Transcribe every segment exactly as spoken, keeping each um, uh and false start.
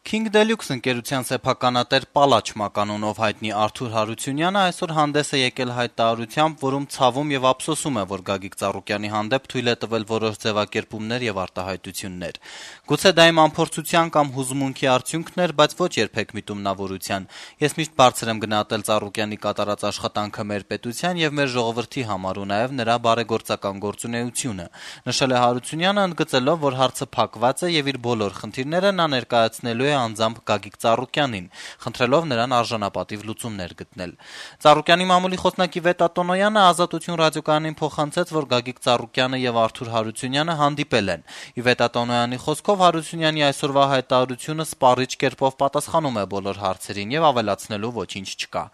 King Deluxe ընկերության սեփականատեր Պալաչ մականունով հայտնի Արթուր Հարությունյանը այսօր հանդես է եկել հայտարարությամբ, որում ցավում եւ ափսոսում է, որ Գագիկ Ծառուկյանի հանդեպ թույլ է տվել որոշ ձևակերպումներ եւ արտահայտություններ։ Գուցե դա իմ անփորձության կամ հուզմունքի արդյունքն էր, բայց ոչ երբեք միտումնավորության։ Ես միշտ բարձր եմ գնահատել Ծառուկյանի կատարած աշխատանքը մեր պետության եւ մեր ժողովրդի համար ու նաեւ նրա բարեգործական գործունեությունը, նշել է Հարությունյանը, ընդգծելով, որ հարցը փակված է եւ իր բոլոր խնդիրները նա ներկայացնելու է անձամբ Գագիկ Ծառուկյանին, խնդրելով նրան արժանապատիվ լուծումներ գտնել։ Ծառուկյանի մամուլի խոսնակի Վետա Տոնոյանը Ազատություն ռադիոկայանին փոխանցեց, որ Գագիկ Ծառուկյանը եւ Արթուր Հարությունյանը հանդիպել են։ Ի Վետա Տոնոյանի խոսքով Հարությունյանի այսօրվա հայտարարությունը սպառիչ կերպով պատասխանում է բոլոր հարցերին եւ ավելացնելու ոչինչ չկա։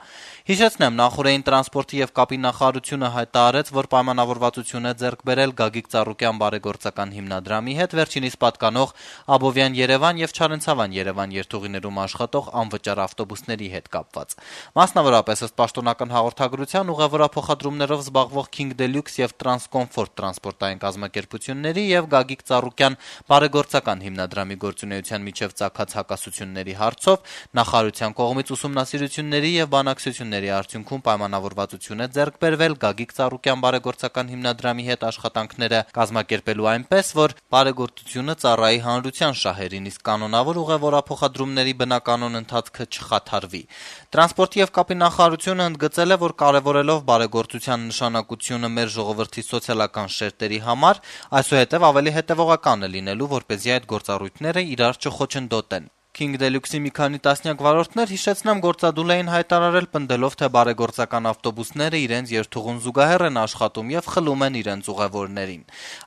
Հիշեցնեմ, նախորդային տրանսպորտի եւ կապի նախարարությունը հայտարարեց, որ պայմանավորվածություն է ձեռք բերել Գագիկ Ծառուկյան բարեգործական հիմնադրամի հետ վերջինիս պատկանող Աբովյան-Երևան եւ Չարենցավան-Երևան երթուղիներում աշխատող անվճար ավտոբուսների հետ կապված։ Մասնավորապես ըստ պաշտոնական հաղորդագրության ուղևորափոխադրումներով զբաղվող King Deluxe եւ Transcomfort տրանսպորտային կազմակերպությունների եւ Գագիկ Ծառուկյան բարեգործական հիմնադրամի գործունեության միջև ծագած հակասությունների հարցով նախարարության կողմից ուսումնասիրությունների եւ բանակցությունների արդյունքում պայմանավորվածություն է ձեռք բերվել Գագիկ Ծառուկյան բարեգործական հիմնադրամի հետ աշխատանքները կազմակերպելու այնպես, որ բարեգործությունը ծառայի հանրության շահերին, իսկ կանոնավոր ուղևորափոխադրումների բնականոն ընթացքը չխաթարվի։ Տրանսպորտի եւ կապի նախարարությունը ընդգծել է, որ կարեւորելով բարեգործության նշանակությունը մեր ժողովրդի սոցիալական շերտերի համար, այսուհետեւ ավելի հետեւողական է լինելու, որպեսզի այդ գործառույթները իրար չխոչընդոտեն։ King Deluxe-ի մի քանի տասնյակ վարորդներ, հիշեցնեմ, գործադուլ էին հայտարարել, պնդելով, թե բարեգործական ավտոբուսները իրենց երթուղուն զուգահեռ են աշխատում եւ խլում են իրենց ուղևորներին։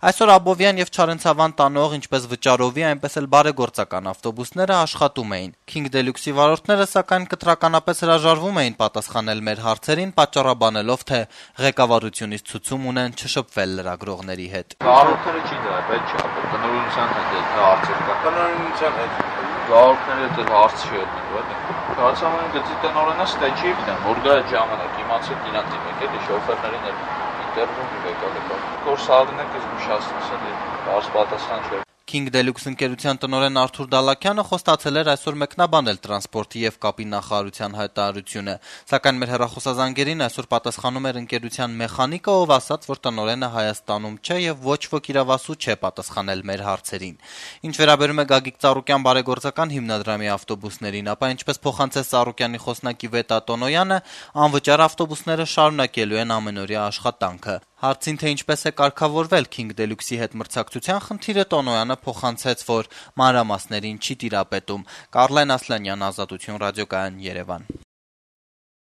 Այսօր Աբովյան եւ Չարենցավան տանող ինչպես վճարովի, այնպես էլ բարեգործական ավտոբուսները աշխատում էին։ King Deluxe-ի վարորդները սակայն կտրականապես հրաժարվում էին պատասխանել մեր հարցերին, պատճառաբանելով, թե ղեկավարությունից ցուցում ունեն չշփվել լրագրողների հետ։ Վարորդները չի դրա, բայց չի, տնօրինության հետ հարցեր կա։ Տնօրինության հետ Վարորդները դեռ հարց չի ելնել, Չարենցավանի գծի տնօրենը ստե չի գիտեմ, որ գա այդ ժամանակ, իմացեք իրան դիմեք, էլի շոֆերներին էլ ինտերվյու եկալ է։ Որ սաղդինը կզգուշացնես, էլի բարձ պատասխան չէ։ King Deluxe ընկերության տնօրեն Արթուր Դալաքյանը խոստացել էր այսօր մեկնաբանել տրանսպորտի եւ կապի նախարարության հայտարարությունը, սակայն մեր հեռախոսազանգերին այսօր պատասխանում էր ընկերության մեխանիկը, ով ասաց, որ տնօրենը Հայաստանում չէ եւ ոչ ոք իրավասու չէ պատասխանել մեր հարցերին։ Ինչ վերաբերում է Գագիկ Ծառուկյան բարեգործական հիմնադրամի ավտոբուսներին, ապա ինչպես փոխանցեց Ծառուկյանի խոսնակի Վետա Տոնոյանը, անվճար ավտոբուսները շարունակելու են ամենօրյա աշխատանքը։ Հարցին, թե ինչպես է կարգավորվել King Deluxe-ի հետ մրցակցության խնդիրը, Տոնոյանը փոխանցեց, որ մանրամասներին չի տիրապետում։ Կարլեն Ասլանյան, Ազատություն ռադիոկայան, Երևան։